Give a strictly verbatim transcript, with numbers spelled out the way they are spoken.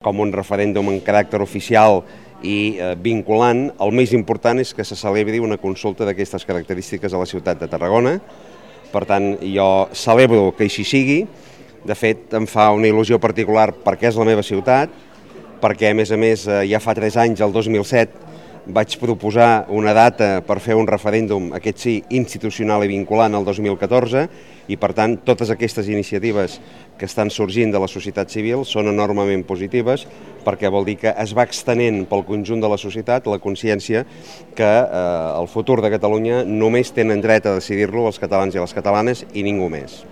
Com un referèndum en caràcter oficial i eh, vinculant, el més important és que se celebri una consulta d'aquestes característiques a la ciutat de Tarragona. Per tant, jo celebro que així sigui. De fet, em fa una il·lusió particular perquè és la meva ciutat, perquè, a més a més, ja fa tres anys, el dos mil set, vaig proposar una data per fer un referèndum, aquest sí, institucional i vinculant el dos mil catorze, i per tant totes aquestes iniciatives que estan sorgint de la societat civil són enormement positives perquè vol dir que es va extenent pel conjunt de la societat la consciència que eh, el futur de Catalunya només tenen dret a decidir-lo els catalans i les catalanes i ningú més.